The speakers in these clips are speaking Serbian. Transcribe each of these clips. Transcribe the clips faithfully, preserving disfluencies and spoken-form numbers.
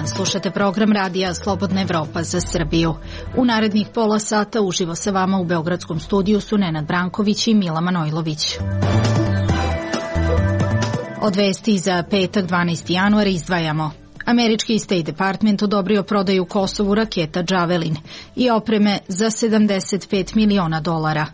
dan, slušate program radija Slobodna Evropa za Srbiju. U narednih pola sata uživo sa vama u beogradskom studiju su Nenad Branković i Mila Manojlović. Od vesti za petak dvanaesti januar izdvajamo. Američki State Department odobrio prodaju Kosovu raketa Javelin i opreme za sedamdeset pet miliona dolara.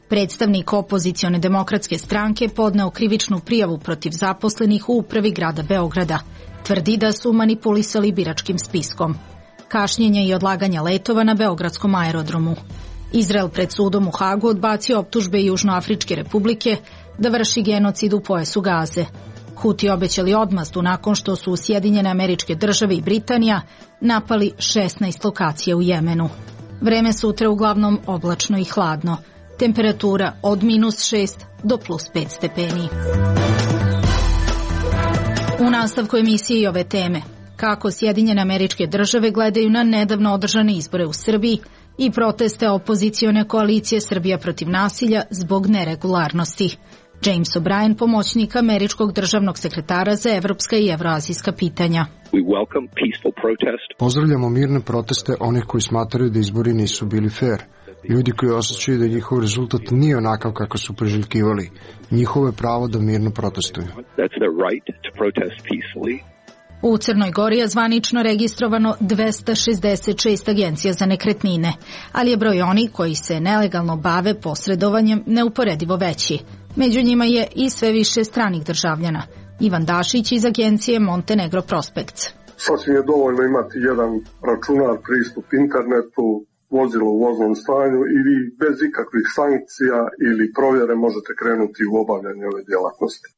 Predstavnik opozicione demokratske stranke podneo krivičnu prijavu protiv zaposlenih u upravi grada Beograda. Tvrdi da su manipulisali biračkim spiskom. Kašnjenja i odlaganja letova na beogradskom aerodromu. Izrael pred sudom u Hagu odbacio optužbe Južnoafričke republike da vrši genocid u pojasu Gaze. Huti obećali odmazdu nakon što su Sjedinjene Američke Države i Britanija napali šesnaest lokacija u Jemenu. Vreme sutra uglavnom oblačno i hladno. Temperatura od minus šest do plus pet stepeni. U nastavku emisije i ove teme, kako Sjedinjene Američke Države gledaju na nedavno održane izbore u Srbiji i proteste opozicione koalicije Srbija protiv nasilja zbog neregularnosti. James O'Brien, pomoćnik američkog državnog sekretara za evropska i evroazijska pitanja. Pozdravljamo mirne proteste onih koji smatraju da izbori nisu bili fair. Ljudi koji osjećaju da njihov rezultat nije onakav kako su priželjkivali. Njihovo je pravo da mirno protestuju. U Crnoj Gori je zvanično registrovano dvesta šezdeset šest agencija za nekretnine, ali je broj onih koji se nelegalno bave posredovanjem neuporedivo veći. Među njima je i sve više stranih državljana. Ivan Dašić iz agencije Montenegro Prospects. Sasvim je dovoljno imati jedan računar, pristup internetu, vozilo u voznom stanju i vi bez ikakvih sankcija ili provjere možete krenuti u obavljanje ove djelatnosti.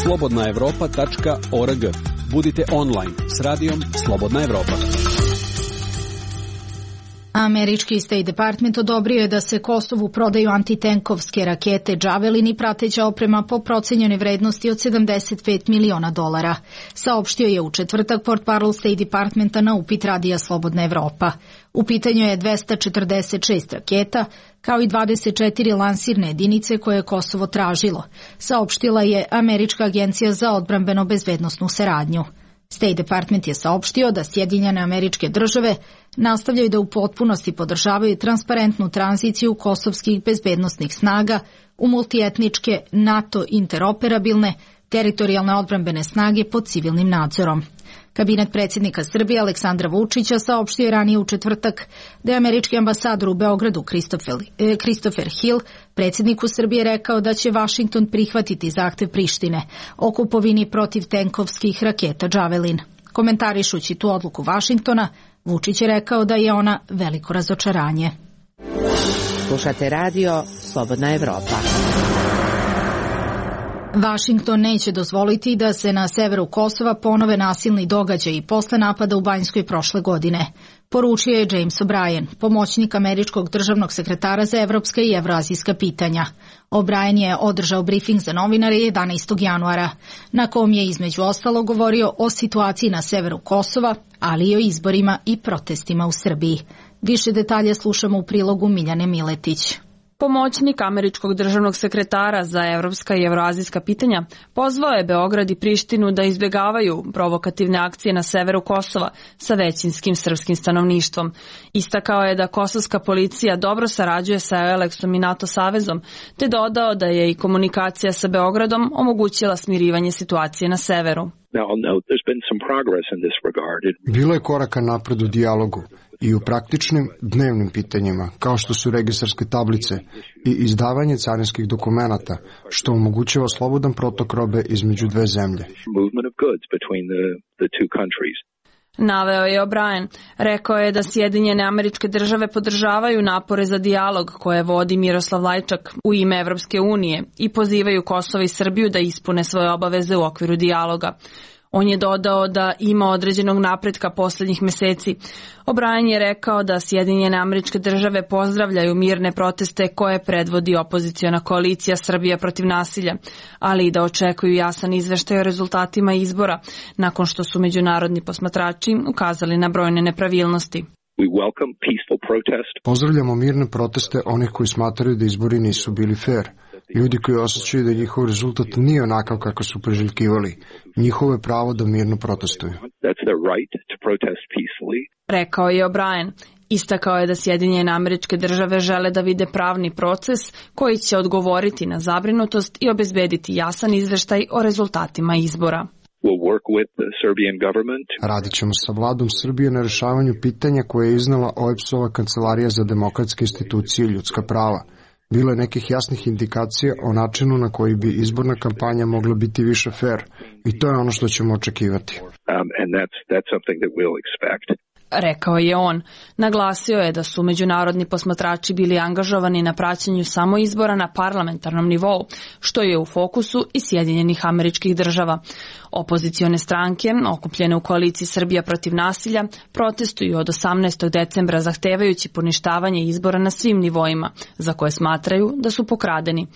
slobodna evropa tačka org. Budite online s radijom Slobodna Evropa. Američki State Department odobrio je da se Kosovu prodaju antitenkovske rakete Javelin i prateća oprema po procenjenoj vrednosti od sedamdeset pet miliona dolara. Saopštio je u četvrtak portparol State Departmenta na upit radija Slobodna Evropa. U pitanju je dvesta četrdeset šest raketa, kao i dvadeset četiri lansirne jedinice koje je Kosovo tražilo, saopštila je Američka agencija za odbrambeno-bezbednosnu saradnju. State Department je saopštio da Sjedinjene Američke Države nastavljaju da u potpunosti podržavaju transparentnu tranziciju kosovskih bezbednosnih snaga u multietničke NATO interoperabilne teritorijalne odbrambene snage pod civilnim nadzorom. Kabinet predsjednika Srbije Aleksandra Vučića saopštio je ranije u četvrtak da je američki ambasador u Beogradu Christopher Hill predsjedniku Srbije rekao da će Vašington prihvatiti zahtev Prištine o kupovini protivtenkovskih raketa Javelin. Komentarišući tu odluku Vašingtona, Vučić je rekao da je ona veliko razočaranje. Slušate radio Slobodna Evropa. Vašington neće dozvoliti da se na severu Kosova ponove nasilni događaji posle napada u Banjskoj prošle godine, poručio je James O'Brien, pomoćnik američkog državnog sekretara za evropska i evroazijska pitanja. O'Brien je održao brifing za novinare jedanaestog januara, na kom je između ostalo govorio o situaciji na severu Kosova, ali i o izborima i protestima u Srbiji. Više detalje slušamo u prilogu Miljane Miletić. Pomoćnik američkog državnog sekretara za evropska i evroazijska pitanja pozvao je Beograd i Prištinu da izbjegavaju provokativne akcije na severu Kosova sa većinskim srpskim stanovništvom. Istakao je da kosovska policija dobro sarađuje sa Euleksom i NATO savezom, te dodao da je i komunikacija sa Beogradom omogućila smirivanje situacije na severu. Bilo je koraka napred u dijalogu i u praktičnim dnevnim pitanjima, kao što su registarske tablice i izdavanje carinskih dokumenata, što omogućava slobodan protok robe između dve zemlje. Naveo je O'Brien. Rekao je da Sjedinjene Američke Države podržavaju napore za dijalog koje vodi Miroslav Lajčak u ime Evropske unije i pozivaju Kosovo i Srbiju da ispune svoje obaveze u okviru dijaloga. On je dodao da ima određenog napretka posljednjih meseci. O'Brien je rekao da Sjedinjene Američke Države pozdravljaju mirne proteste koje predvodi opoziciona koalicija Srbija protiv nasilja, ali i da očekuju jasan izveštaj o rezultatima izbora, nakon što su međunarodni posmatrači ukazali na brojne nepravilnosti. Pozdravljamo mirne proteste onih koji smatraju da izbori nisu bili fair. Ljudi koji osjećaju da njihov rezultat nije onakav kako su priželjkivali, njihovo je pravo da mirno protestuju. Rekao je O'Brien. Istakao je da Sjedinjene Američke Države žele da vide pravni proces koji će odgovoriti na zabrinutost i obezbediti jasan izveštaj o rezultatima izbora. Radit ćemo sa vladom Srbije na rešavanju pitanja koje je iznala O E B S-ova Kancelarija za demokratske institucije i ljudska prava. Bilo je nekih jasnih indikacija o načinu na koji bi izborna kampanja mogla biti više fair i to je ono što ćemo očekivati. Rekao je on. Naglasio je da su međunarodni posmatrači bili angažovani na praćenju samo izbora na parlamentarnom nivou, što je u fokusu i Sjedinjenih Američkih Država. Opozicione stranke, okupljene u koaliciji Srbija protiv nasilja, protestuju od osamnaestog decembra zahtevajući poništavanje izbora na svim nivoima, za koje smatraju da su pokradeni.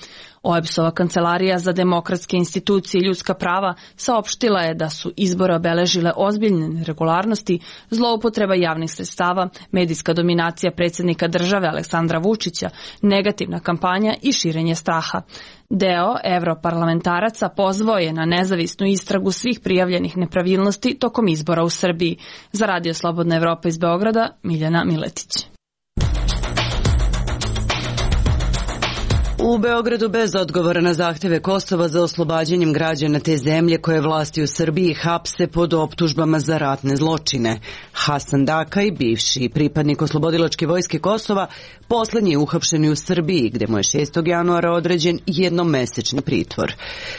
O E B S-ova Kancelarija za demokratske institucije i ljudska prava saopštila je da su izbore obeležile ozbiljne neregularnosti, zloupotreba javnih sredstava, medijska dominacija predsjednika države Aleksandra Vučića, negativna kampanja i širenje straha. Deo evroparlamentaraca pozvao je na nezavisnu istragu svih prijavljenih nepravilnosti tokom izbora u Srbiji. Za Radio Slobodna Evropa iz Beograda, Miljana Miletić. U Beogradu bez odgovora na zahteve Kosova za oslobađanjem građana te zemlje koje vlasti u Srbiji hapse pod optužbama za ratne zločine. Hasan Dakaj, bivši pripadnik oslobodilačke vojske Kosova, poslednji je uhapšen u Srbiji, gde mu je šestog januara određen jednomesečni pritvor.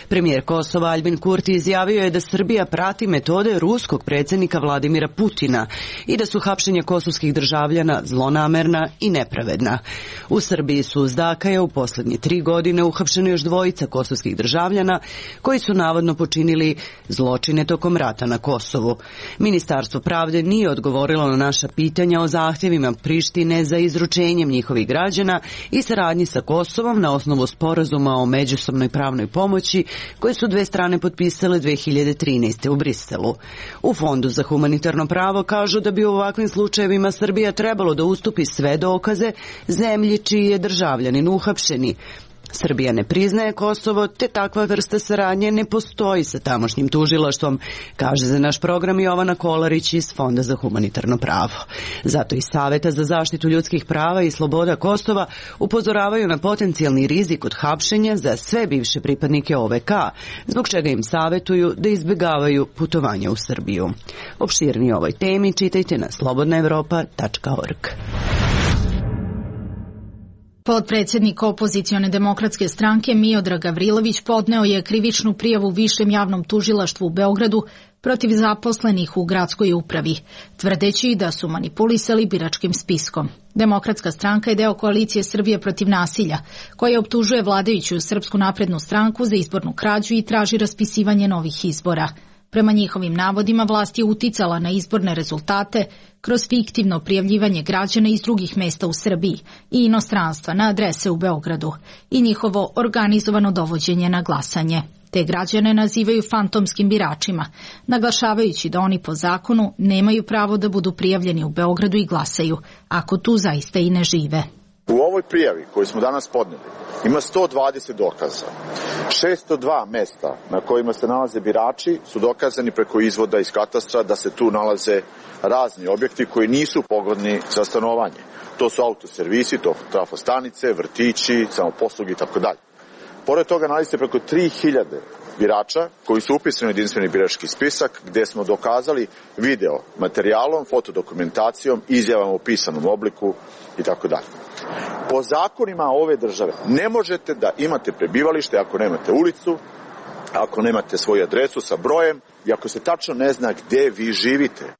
Premijer Kosova Aljbin Kurti izjavio je da Srbija prati metode ruskog predsjednika Vladimira Putina i da su hapšenja kosovskih državljana zlonamerna i nepravedna. U Srbiji su uz Dakaja u poslednje tri godine uhapšeni još dvojica kosovskih državljana koji su navodno počinili zločine tokom rata na Kosovu. Ministarstvo pravde nije odgovorilo na naša pitanja o zahtjevima Prištine za izručenjem njihovih građana i saradnji sa Kosovom na osnovu sporazuma o međusobnoj pravnoj pomoći koje su dve strane potpisale dve hiljade trinaeste. u Briselu. U Fondu za humanitarno pravo kažu da bi u ovakvim slučajevima Srbija trebalo da ustupi sve dokaze zemlji čiji je državljanin uhapšeni. Srbija ne priznaje Kosovo, te takva vrsta saradnje ne postoji sa tamošnjim tužilaštvom, kaže za naš program Jovana Kolarić iz Fonda za humanitarno pravo. Zato i Saveta za zaštitu ljudskih prava i sloboda Kosova upozoravaju na potencijalni rizik od hapšenja za sve bivše pripadnike O V K, zbog čega im savetuju da izbjegavaju putovanja u Srbiju. Opširnije o ovoj temi čitajte na slobodna evropa tačka org. Potpredsjednik opozicione demokratske stranke Miodrag Gavrilović podneo je krivičnu prijavu Višem javnom tužilaštvu u Beogradu protiv zaposlenih u gradskoj upravi, tvrdeći da su manipulisali biračkim spiskom. Demokratska stranka je deo koalicije Srbije protiv nasilja, koja optužuje vladajuću Srpsku naprednu stranku za izbornu krađu i traži raspisivanje novih izbora. Prema njihovim navodima, vlast je uticala na izborne rezultate kroz fiktivno prijavljivanje građana iz drugih mesta u Srbiji i inostranstva na adrese u Beogradu i njihovo organizovano dovođenje na glasanje. Te građane nazivaju fantomskim biračima, naglašavajući da oni po zakonu nemaju pravo da budu prijavljeni u Beogradu i glasaju, ako tu zaista i ne žive. U ovoj prijavi koju smo danas podneli ima sto dvadeset dokaza. šesto dva mesta na kojima se nalaze birači su dokazani preko izvoda iz katastra da se tu nalaze razni objekti koji nisu pogodni za stanovanje. To su autoservisi, to trafostanice, vrtići, samoposluge i tako dalje. Pored toga nalazi se preko tri hiljade birača koji su upisani u jedinstveni birački spisak gde smo dokazali video materijalom, fotodokumentacijom, izjavama u pisanom obliku i tako dalje. Po zakonima ove države ne možete da imate prebivalište ako nemate ulicu, ako nemate svoju adresu sa brojem i ako se tačno ne zna gde vi živite.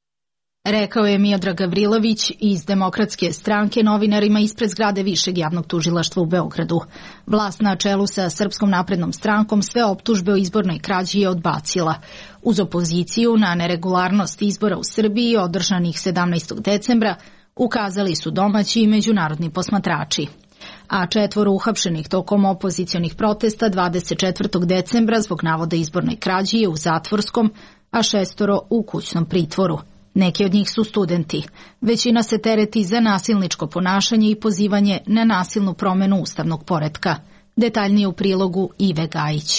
Rekao je Miodrag Gavrilović iz Demokratske stranke novinarima ispred zgrade Višeg javnog tužilaštva u Beogradu. Vlast na čelu sa Srpskom naprednom strankom sve optužbe o izbornoj krađi je odbacila. Uz opoziciju na neregularnost izbora u Srbiji održanih sedamnaestog decembra ukazali su domaći i međunarodni posmatrači. A četvoro uhapšenih tokom opozicionih protesta dvadeset četvrtog decembra zbog navoda izbornoj krađi je u zatvorskom, a šestoro u kućnom pritvoru. Neki od njih su studenti. Većina se tereti za nasilničko ponašanje i pozivanje na nasilnu promenu ustavnog poretka. Detaljnije u prilogu Ive Gajić.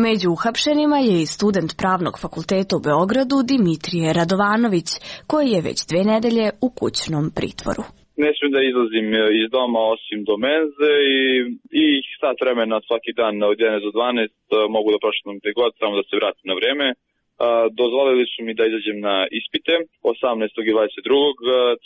Među uhapšenima je i student Pravnog fakulteta u Beogradu Dimitrije Radovanović, koji je već dve nedelje u kućnom pritvoru. Ne smijem da izlazim iz doma osim do menze i, i sat vremena svaki dan od jedanaest do dvanaest mogu da prošetam gde god, samo da se vratim na vreme. Dozvolili su mi da izađem na ispite osamnaestog i dvadeset drugog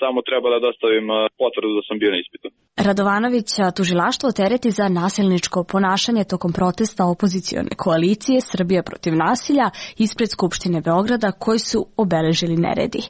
Samo treba da dostavim potvrdu da sam bio na ispitu. Radovanovića tužilaštvo tereti za nasilničko ponašanje tokom protesta opozicione koalicije Srbija protiv nasilja ispred Skupštine Beograda koji su obeležili neredi.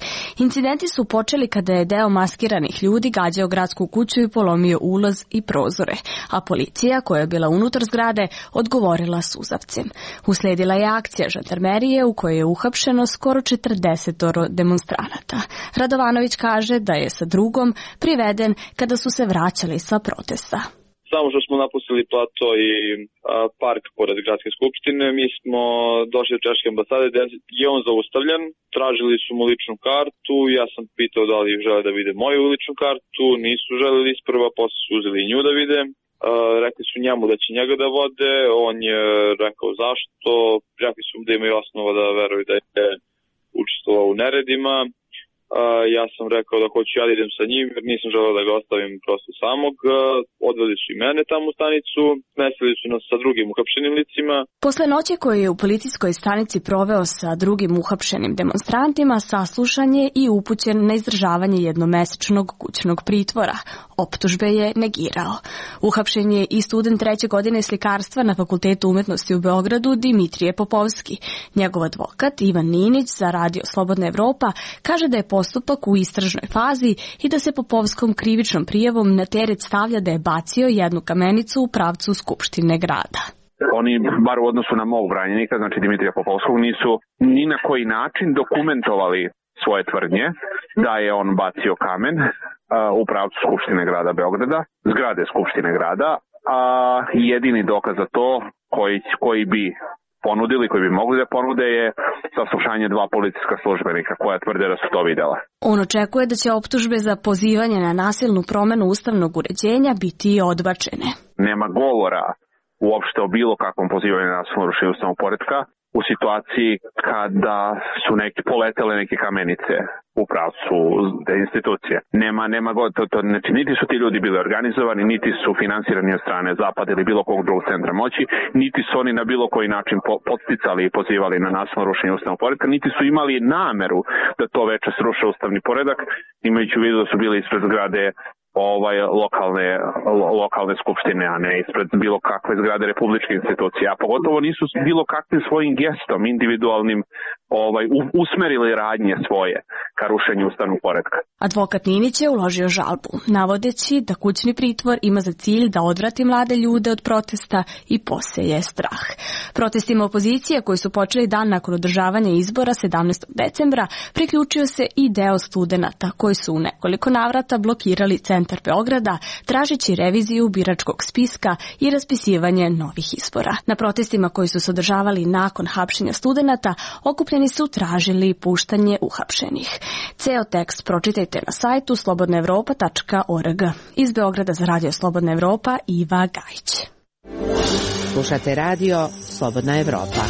Incidenti su počeli kada je deo maskiranih ljudi gađao gradsku kuću i polomio ulaz i prozore, a policija koja je bila unutar zgrade odgovorila suzavcem. Usledila je akcija žandarmerije u kojoj je uhapšeno skoro četrdeset demonstranata. Radovanović kaže da je sa drugom priveden kada su se vraćali sa protesta. Samo što smo napustili plato i a, park pored gradske skupštine, mi smo došli do češke ambasade gde je on zaustavljen, tražili su mu ličnu kartu, ja sam pitao da li žele da vide moju ličnu kartu, nisu želeli isprva, posle su uzeli i nju da vide. Uh, rekli su njemu da će njega da vode, on je rekao zašto, rekli su da imaju osnova da veruju da je učestvovao u neredima. Uh, ja sam rekao da hoću ja da idem sa njim jer nisam želeo da ga ostavim prosto samog. Uh, odveli su i mene tamo u stanicu, smestili su nas sa drugim uhapšenim licima. Posle noći koju je u policijskoj stanici proveo sa drugim uhapšenim demonstrantima, saslušan je i upućen na izdržavanje jednomesečnog kućnog pritvora. Optužbe je negirao. Uhapšen je i student treće godine slikarstva na Fakultetu umetnosti u Beogradu Dimitrije Popovski. Njegov advokat Ivan Ninić za Radio Slobodna Evropa kaže da je postupak u istražnoj fazi i da se Popovskom krivičnom prijavom na teret stavlja da je bacio jednu kamenicu u pravcu Skupštine grada. Oni, bar u odnosu na mog branjenika, znači Dimitrija Popovskog, nisu ni na koji način dokumentovali svoje tvrdnje da je on bacio kamen uh, u pravcu Skupštine grada Beograda, zgrade Skupštine grada, a jedini dokaz za to koji, koji bi ponudili, koji bi mogli da ponude je saslušanje dva policijska službenika koja tvrde da su to videla. On očekuje da će optužbe za pozivanje na nasilnu promenu ustavnog uređenja biti odbačene. Nema govora uopšte o bilo kakvom pozivanju na nasilno rušenje ustavnog poretka u situaciji kada su neki poletele neke kamenice u pravcu te institucije. Nema, nema god, to, to, znači, niti su ti ljudi bili organizovani, niti su finansirani od strane Zapada ili bilo kog drugog centra moći, niti su oni na bilo koji način po, podsticali i pozivali na nasilno rušenje ustavnog poretka, niti su imali nameru da to veče sruše ustavni poredak, imajući u vidu da su bili ispred zgrade ovaj lokalne lo, lokalne skupštine, a ne ispred bilo kakve zgrade republičke institucije, a pogotovo nisu bilo kakvim svojim gestom individualnim ovaj usmerili radnje svoje ka rušenju ustavnog poretka. Advokat Ninić je uložio žalbu, navodeći da kućni pritvor ima za cilj da odvrati mlade ljude od protesta i poseje strah. Protestima opozicije koji su počeli dan nakon održavanja izbora sedamnaestog decembra priključio se i deo studenata koji su u nekoliko navrata blokirali centar Beograda tražeći reviziju biračkog spiska i raspisivanje novih izbora. Na protestima koji su se održavali nakon hapšenja studenata okupljeni su tražili puštanje uhapšenih. Ceo tekst pročitajte na sajtu slobodna evropa tačka org. Iz Beograda za Radio Slobodna Evropa Iva Gajić. Slušate radio Slobodna Evropa.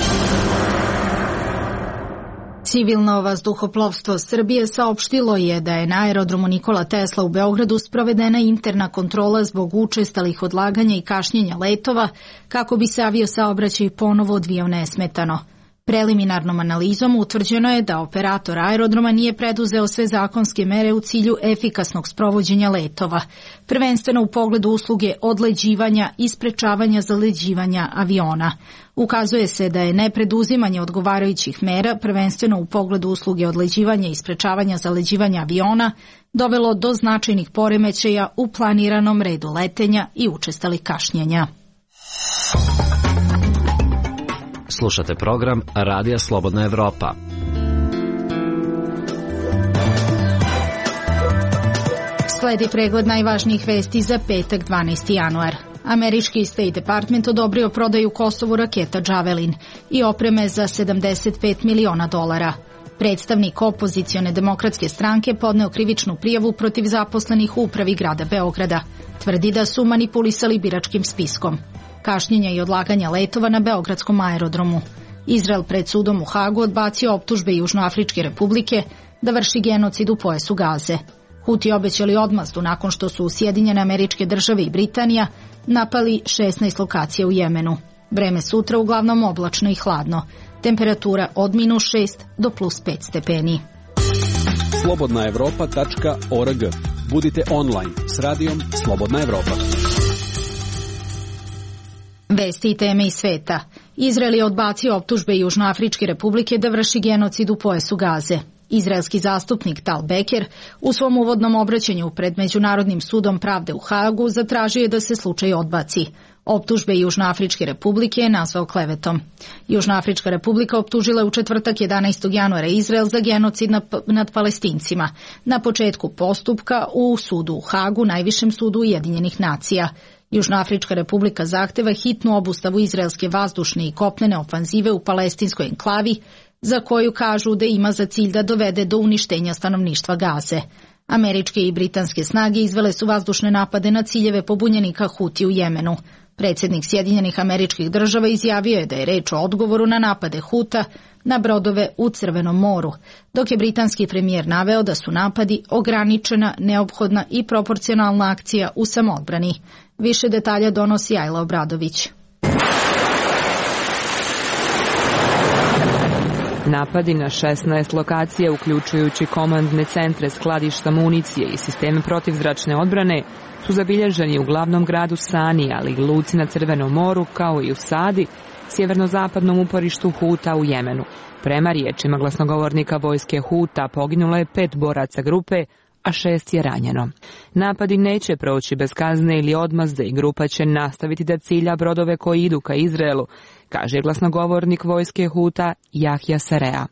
Civilno vazduhoplovstvo Srbije saopštilo je da je na aerodromu Nikola Tesla u Beogradu sprovedena interna kontrola zbog učestalih odlaganja i kašnjenja letova kako bi se aviosaobraćaj ponovo odvijao nesmetano. Preliminarnom analizom utvrđeno je da operator aerodroma nije preduzeo sve zakonske mere u cilju efikasnog sprovođenja letova, prvenstveno u pogledu usluge odleđivanja i sprečavanja zaleđivanja aviona. Ukazuje se da je nepreduzimanje odgovarajućih mera, prvenstveno u pogledu usluge odleđivanja i sprečavanja zaleđivanja aviona, dovelo do značajnih poremećaja u planiranom redu letenja i učestalih kašnjenja. Slušate program Radija Slobodna Evropa. Sledi pregled najvažnijih vesti za petak dvanaesti januar. Američki State Department odobrio prodaju Kosovu raketa Javelin i opreme za sedamdeset pet miliona dolara. Predstavnik opozicione demokratske stranke podneo krivičnu prijavu protiv zaposlenih u upravi grada Beograda. Tvrdi da su manipulisali biračkim spiskom. kašnjenja i odlaganja letova na beogradskom aerodromu. Izrael pred sudom u Hagu odbacio optužbe Južnoafričke republike da vrši genocid u pojasu Gaze. Huti obećali odmazdu nakon što su Sjedinjene Američke Države i Britanija napali šesnaest lokacija u Jemenu. Vreme sutra uglavnom oblačno i hladno. Temperatura od minus šest do plus pet stepeni. slobodna evropa tačka org. Budite online s radijom Slobodna Evropa. Vesti i teme iz sveta. Izrael je odbacio optužbe Južnoafričke republike da vrši genocid u pojasu Gaze. Izraelski zastupnik Tal Beker u svom uvodnom obraćanju pred Međunarodnim sudom pravde u Hagu zatražio je da se slučaj odbaci. Optužbe Južnoafričke republike je nazvao klevetom. Južnoafrička republika optužila je u četvrtak jedanaestog januara Izrael za genocid nad Palestincima na početku postupka u sudu u Hagu, najvišem sudu Ujedinjenih nacija. Južnoafrička republika zahteva hitnu obustavu izraelske vazdušne i kopnene ofanzive u palestinskoj enklavi, za koju kažu da ima za cilj da dovede do uništenja stanovništva Gaze. Američke i britanske snage izvele su vazdušne napade na ciljeve pobunjenika Huti u Jemenu. Predsjednik Sjedinjenih Američkih Država izjavio je da je reč o odgovoru na napade Huta na brodove u Crvenom moru, dok je britanski premijer naveo da su napadi ograničena, neophodna i proporcionalna akcija u samoodbrani. Više detalja donosi Ajla Obradović. Napadi na šesnaest lokacija, uključujući komandne centre, skladišta municije i sisteme protivzračne odbrane, su zabilježeni u glavnom gradu Sani, ali i luci na Crvenom moru, kao i u Sadi, sjeverno-zapadnom uporištu Huta u Jemenu. Prema riječima glasnogovornika vojske Huta poginulo je pet boraca grupe, a šest je ranjeno. Napadi neće proći bez kazne ili odmazde i grupa će nastaviti da cilja brodove koji idu ka Izraelu, kaže glasnogovornik vojske Huta Jahja Sarea.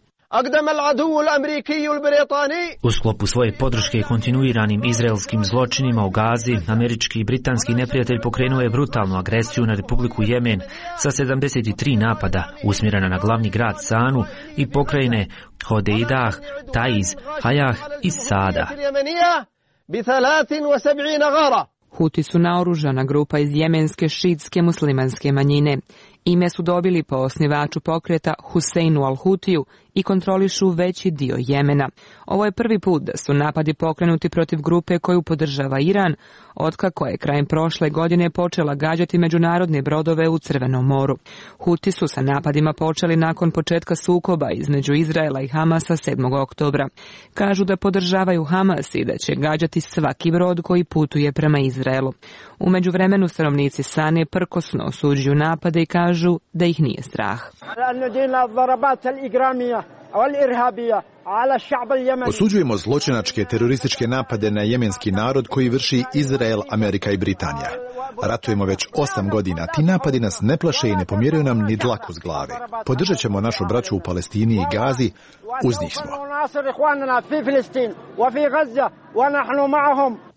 U sklopu svoje podrške kontinuiranim izraelskim zločinima u Gazi, američki i britanski neprijatelj pokrenuo je brutalnu agresiju na Republiku Jemen sa sedamdeset tri napada usmjerena na glavni grad Sanu i pokrajine Hodeidah, Taiz, Hajah i Sada. Huti su naoružana grupa iz jemenske šiitske muslimanske manjine. Ime su dobili po osnivaču pokreta Huseinu al-Hutiju i kontrolišu veći dio Jemena. Ovo je prvi put da su napadi pokrenuti protiv grupe koju podržava Iran, otkako je krajem prošle godine počela gađati međunarodne brodove u Crvenom moru. Huti su sa napadima počeli nakon početka sukoba između Izraela i Hamasa sedmog oktobra. Kažu da podržavaju Hamas i da će gađati svaki brod koji putuje prema Izraelu. U međuvremenu stanovnici Sane prkosno osuđuju napade i kažu da ih nije strah. Osuđujemo zločinačke terorističke napade na jemenski narod koji vrši Izrael, Amerika i Britanija. Ratujemo već osam godina, ti napadi nas ne plaše i ne pomjeraju nam ni dlaku s glave. Podržat ćemo našu braću u Palestini i Gazi, uz njih smo.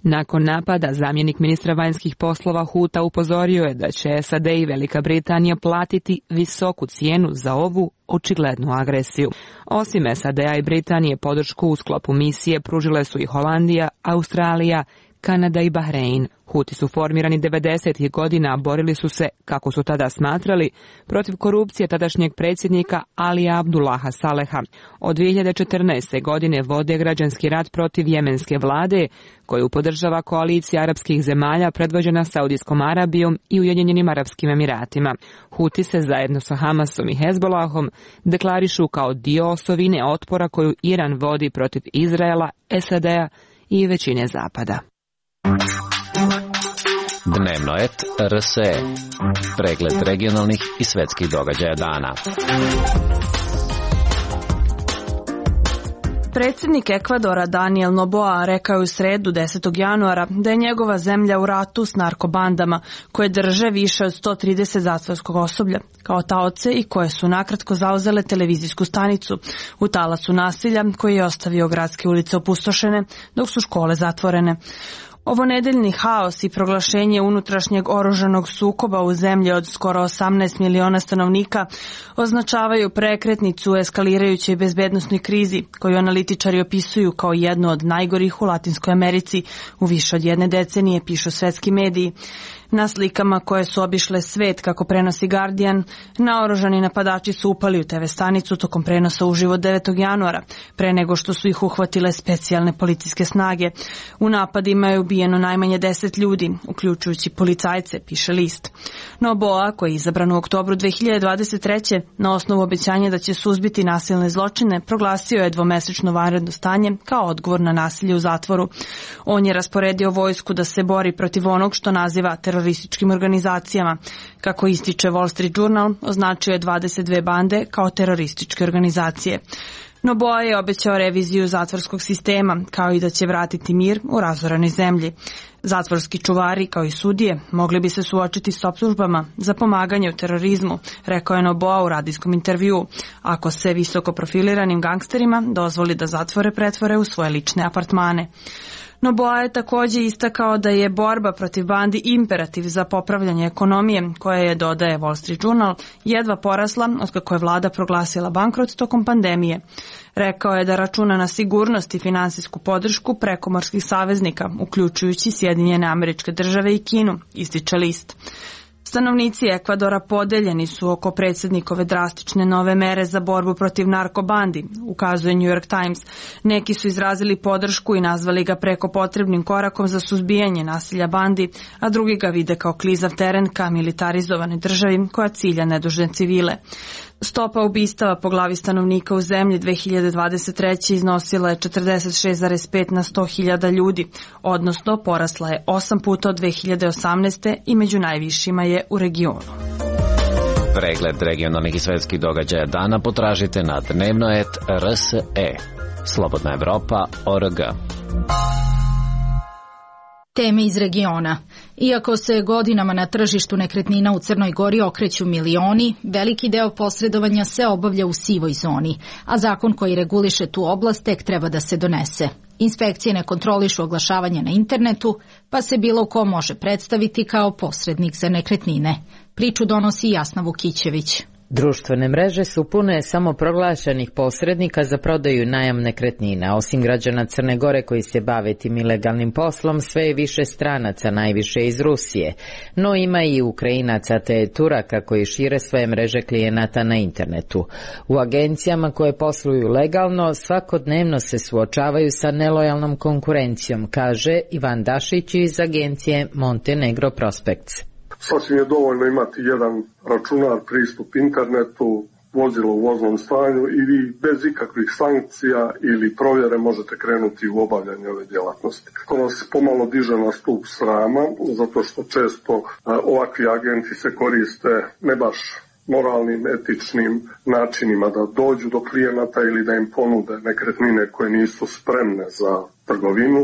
Nakon napada, zamjenik ministra vanjskih poslova Huta upozorio je da će S A D i Velika Britanija platiti visoku cijenu za ovu očiglednu agresiju. Osim S A D-a i Britanije, podršku u sklopu misije pružile su i Holandija, Australija, Kanada i Bahrein. Huti su formirani devedesetih godina, borili su se, kako su tada smatrali, protiv korupcije tadašnjeg predsjednika Alija Abdullaha Saleha. Od dvije hiljade četrnaeste. godine vode građanski rat protiv jemenske vlade, koju podržava koalicija arapskih zemalja predvođena Saudijskom Arabijom i Ujedinjenim Arapskim Emiratima. Huti se zajedno sa Hamasom i Hezbolahom deklarišu kao dio osovine otpora koju Iran vodi protiv Izraela, S A D-a i većine Zapada. Dnevno et R S E. Pregled regionalnih i svetskih događaja dana. Predsjednik Ekvadora Daniel Noboa rekao je u sredu desetog januara da je njegova zemlja u ratu s narkobandama koje drže više od sto trideset zatvorskog osoblja kao taoce i koje su nakratko zauzele televizijsku stanicu u talasu nasilja koji je ostavio gradske ulice opustošene dok su škole zatvorene. Ovo nedeljni haos i proglašenje unutrašnjeg oružanog sukoba u zemlji od skoro osamnaest miliona stanovnika označavaju prekretnicu u eskalirajućoj bezbednosnoj krizi koju analitičari opisuju kao jednu od najgorih u Latinskoj Americi u više od jedne decenije, pišu svetski mediji. Na slikama koje su obišle svet, kako prenosi Guardian, naoružani napadači su upali u te ve stanicu tokom prenosa uživo devetog januara, pre nego što su ih uhvatile specijalne policijske snage. U napadima je ubijeno najmanje deset ljudi, uključujući policajce, piše list. Noboa, koji je izabran u oktobru dve hiljade dvadeset treće na osnovu obećanja da će suzbiti nasilne zločine, proglasio je dvomesečno vanredno stanje kao odgovor na nasilje u zatvoru. On je rasporedio vojsku da se bori protiv onog što naziva terorističkim organizacijama. Kako ističe Wall Street Journal, označio je dvadeset dve bande kao terorističke organizacije. Noboa je obećao reviziju zatvorskog sistema, kao i da će vratiti mir u razoranoj zemlji. Zatvorski čuvari, kao i sudije, mogli bi se suočiti s optužbama za pomaganje u terorizmu, rekao je Noboa u radijskom intervjuu, ako se visoko profiliranim gangsterima dozvoli da zatvore pretvore u svoje lične apartmane. Noboa je također istakao da je borba protiv bandi imperativ za popravljanje ekonomije, koja je, dodaje Wall Street Journal, jedva porasla otkako je vlada proglasila bankrot tokom pandemije. Rekao je da računa na sigurnost i finansijsku podršku prekomorskih saveznika, uključujući Sjedinjene Američke Države i Kinu, ističe list. Stanovnici Ekvadora podeljeni su oko predsjednikove drastične nove mere za borbu protiv narkobandi, ukazuje New York Times. Neki su izrazili podršku i nazvali ga preko potrebnim korakom za suzbijanje nasilja bandi, a drugi ga vide kao klizav teren ka militarizovanoj državi koja cilja nedužne civile. Stopa ubistava po glavi stanovnika u zemlji dve hiljade dvadeset treće iznosila je četrdeset šest zarez pet na sto hiljada ljudi, odnosno porasla je osam puta od dve hiljade osamnaeste. i među najvišima je u regionu. Pregled regionalnih i svetskih događaja dana potražite na dnevnoet tačka er es e. Slobodna Evropa tačka org. Teme iz regiona. Iako se godinama na tržištu nekretnina u Crnoj Gori okreću milioni, veliki deo posredovanja se obavlja u sivoj zoni, a zakon koji reguliše tu oblast tek treba da se donese. Inspekcije ne kontrolišu oglašavanje na internetu, pa se bilo ko može predstaviti kao posrednik za nekretnine. Priču donosi Jasna Vukićević. Društvene mreže su pune samoproglašenih posrednika za prodaju i najam nekretnina. Osim građana Crne Gore koji se bave tim ilegalnim poslom, sve je više stranaca, najviše iz Rusije. No ima i Ukrajinaca te Turaka koji šire svoje mreže klijenata na internetu. U agencijama koje posluju legalno svakodnevno se suočavaju sa nelojalnom konkurencijom, kaže Ivan Dašić iz agencije Montenegro Prospects. Sasvim je dovoljno imati jedan računar, pristup internetu, vozilo u voznom stanju i vi bez ikakvih sankcija ili provjere možete krenuti u obavljanje ove djelatnosti. To nas pomalo diže na stup srama, zato što često a, ovakvi agenti se koriste ne baš moralnim, etičnim načinima da dođu do klijenata ili da im ponude nekretnine koje nisu spremne za trgovinu.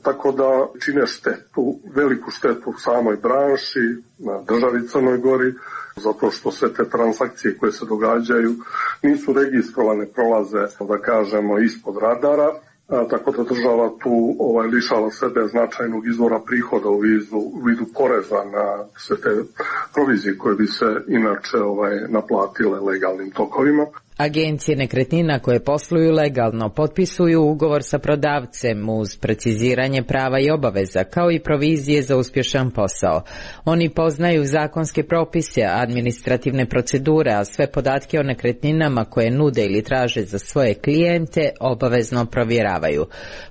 Tako da čine štetu, veliku štetu samoj branši, na državi Crnoj Gori, zato što se te transakcije koje se događaju nisu registrovane, prolaze, da kažemo, ispod radara, a, tako da država tu ovaj, lišava sebe značajnog izvora prihoda u vidu, u vidu poreza na sve te provizije koje bi se inače ovaj, naplatile legalnim tokovima. Agencije nekretnina koje posluju legalno potpisuju ugovor sa prodavcem uz preciziranje prava i obaveza, kao i provizije za uspješan posao. Oni poznaju zakonske propise, administrativne procedure, a sve podatke o nekretninama koje nude ili traže za svoje klijente obavezno provjeravaju.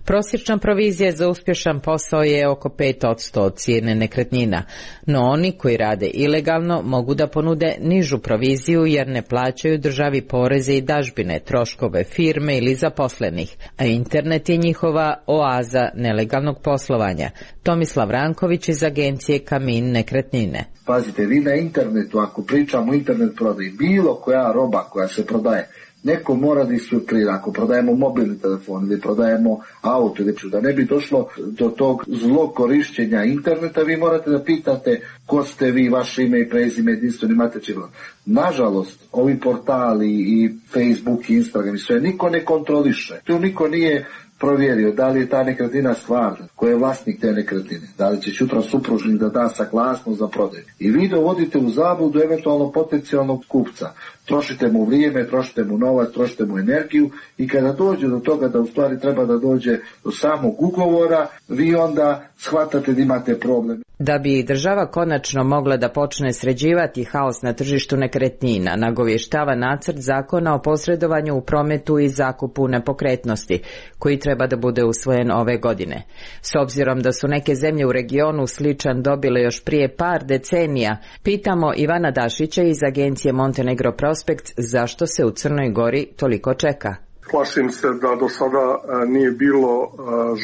Prosječna provizija za uspješan posao je oko pet posto od cijene nekretnina, no oni koji rade ilegalno mogu da ponude nižu proviziju jer ne plaćaju državi porez i dažbine, troškove firme ili zaposlenih, a internet je njihova oaza nelegalnog poslovanja. Tomislav Ranković iz agencije Kamin nekretnine. Pazite, vi na internetu, ako pričamo o internet prodaji, bilo koja roba koja se prodaje, neko mora da isfiltrira. Ako prodajemo mobilni telefon ili prodajemo auto, da ne bi došlo do tog zlog korišćenja interneta, vi morate da pitate ko ste vi, vaše ime i prezime, jedinstveni matični broj. Nažalost, ovi portali i Facebook i Instagram i sve, niko ne kontroliše. Tu niko nije provjerio da li je ta nekretnina stvarna, ko je vlasnik te nekretnine, da li će sutra supružnik da da saglasnost za prodaju. I vi dovodite u zabludu eventualno potencijalnog kupca. Trošite mu vrijeme, trošite mu novac, trošite mu energiju i kada dođe do toga da u stvari treba da dođe do samog ugovora, vi onda shvatate da imate problem. Da bi država konačno mogla da počne sređivati haos na tržištu nekretnina, nagovještava nacrt zakona o posredovanju u prometu i zakupu nepokretnosti, koji treba da bude usvojen ove godine. S obzirom da su neke zemlje u regionu sličan dobile još prije par decenija, pitamo Ivana Dašića iz agencije Montenegro Prospekt zašto se u Crnoj Gori toliko čeka. Plašim se da do sada nije bilo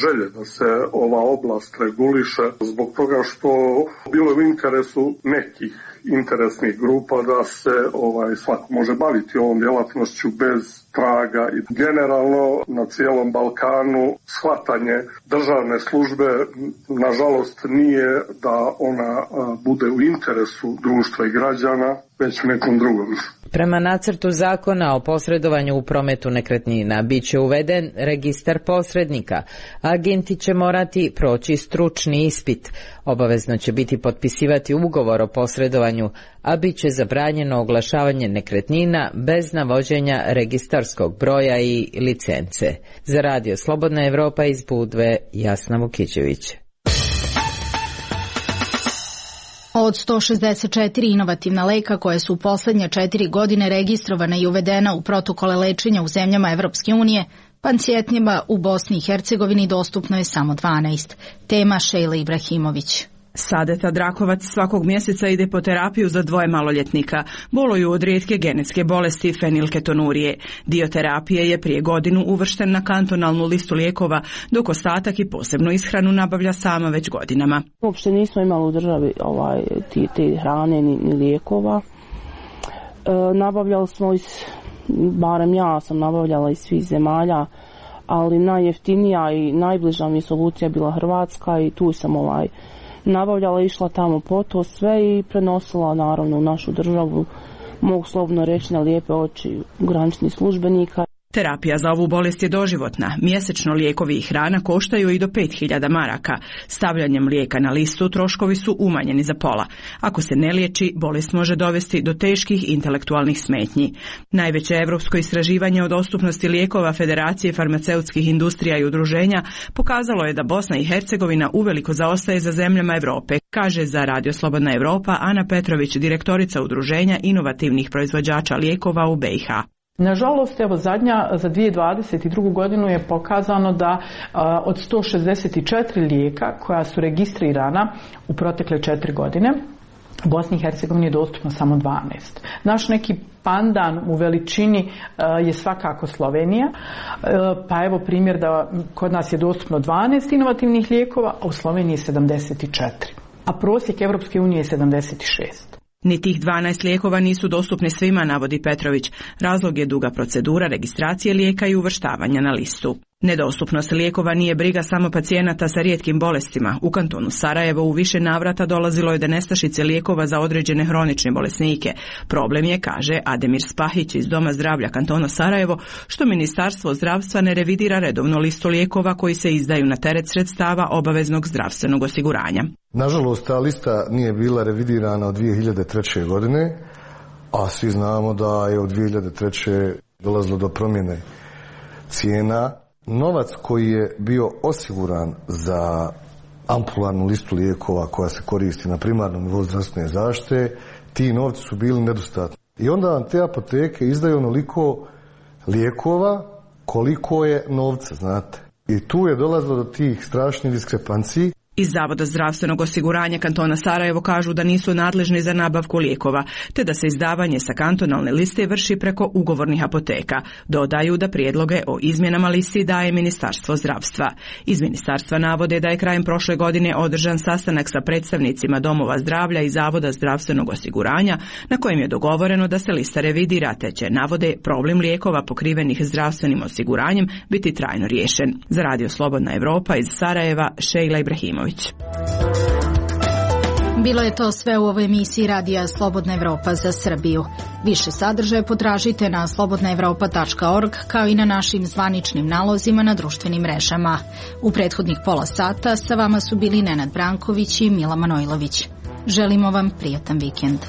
želje da se ova oblast reguliše zbog toga što bilo je u interesu nekih interesnih grupa da se ovaj svako može baviti ovom djelatnošću bez traga i generalno na cijelom Balkanu shvatanje državne službe nažalost nije da ona bude u interesu društva i građana, već u nekom drugom. Prema nacrtu zakona o posredovanju u prometu nekretnina bit će uveden registar posrednika. Agenti će morati proći stručni ispit. Obavezno će biti potpisivati ugovor o posredovanju, a bit će zabranjeno oglašavanje nekretnina bez navođenja registarskog broja i licence. Za Radio Slobodna Evropa iz Budve, Jasna Vukićević. Od sto šezdeset četiri inovativna leka koje su u poslednje četiri godine registrovane i uvedena u protokole lečenja u zemljama Evropske unije, pacijentima u Bosni i Hercegovini dostupno je samo dvanaest. Tema Šejla Ibrahimović. Sadeta Drakovac svakog mjeseca ide po terapiju za dvoje maloljetnika. Boluju od rijetke genetske bolesti fenilketonurije. Dio terapije je prije godinu uvršten na kantonalnu listu lijekova, dok ostatak i posebnu ishranu nabavlja sama već godinama. Uopšte nismo imali u državi ovaj, ti, te hrane ni, ni lijekova. E, nabavljali smo iz, barem ja sam nabavljala iz svih zemalja, ali najjeftinija i najbliža mi solucija bila Hrvatska i tu sam ovaj nabavljala, išla tamo po to sve i prenosila naravno u našu državu, mogu slobodno reći na lijepe oči graničnih službenika. Terapija za ovu bolest je doživotna. Mjesečno lijekovi i hrana koštaju i do pet hiljada maraka. Stavljanjem lijeka na listu troškovi su umanjeni za pola. Ako se ne liječi, bolest može dovesti do teških intelektualnih smetnji. Najveće evropsko istraživanje o dostupnosti lijekova Federacije farmaceutskih industrija i udruženja pokazalo je da Bosna i Hercegovina uveliko zaostaje za zemljama Europe, kaže za Radio Slobodna Evropa Ana Petrović, direktorica udruženja inovativnih proizvođača lijekova u B i H. Nažalost, evo zadnja za dvije tisuće dvadeset drugu. godinu je pokazano da a, od sto šezdeset četiri lijeka koja su registrirana u protekle četiri godine, u Bosni i Hercegovini je dostupno samo dvanaest. Naš neki pandan u veličini a, je svakako Slovenija, a, pa evo primjer da kod nas je dostupno dvanaest inovativnih lijekova, a u Sloveniji sedamdeset četiri, a prosjek Evropske unije je sedamdeset šest. Ni tih dvanaest lijekova nisu dostupni svima, navodi Petrović. Razlog je duga procedura registracije lijeka i uvrštavanja na listu. Nedostupnost lijekova nije briga samo pacijenata sa rijetkim bolestima. U kantonu Sarajevo u više navrata dolazilo je do nestašice lijekova za određene hronične bolesnike. Problem je, kaže Ademir Spahić iz Doma zdravlja kantona Sarajevo, što Ministarstvo zdravstva ne revidira redovno listu lijekova koji se izdaju na teret sredstava obaveznog zdravstvenog osiguranja. Nažalost, ta lista nije bila revidirana od dvije hiljade treće. godine, a svi znamo da je od dvije hiljade treće. dolazilo do promjene cijena. Novac koji je bio osiguran za ampularnu listu lijekova koja se koristi na primarnom nivou zdravstvene zaštite, ti novci su bili nedostatni. I onda vam te apoteke izdaju onoliko lijekova koliko je novca, znate. I tu je dolazilo do tih strašnih diskrepanciji. Iz Zavoda zdravstvenog osiguranja kantona Sarajevo kažu da nisu nadležni za nabavku lijekova, te da se izdavanje sa kantonalne liste vrši preko ugovornih apoteka. Dodaju da prijedloge o izmjenama listi daje Ministarstvo zdravstva. Iz ministarstva navode da je krajem prošle godine održan sastanak sa predstavnicima domova zdravlja i Zavoda zdravstvenog osiguranja, na kojem je dogovoreno da se lista revidira, te će, navode, problem lijekova pokrivenih zdravstvenim osiguranjem biti trajno riješen. Za Radio Slobodna Evropa iz Sarajeva, Šejla Ibrahimović. Bilo je to sve u ovoj emisiji radija Slobodna Evropa za Srbiju. Više sadržaja potražite na slobodna evropa tačka org kao i na našim zvaničnim nalozima na društvenim mrežama. U prethodnih pola sata sa vama su bili Nenad Branković i Mila Manojlović. Želimo vam prijatan vikend.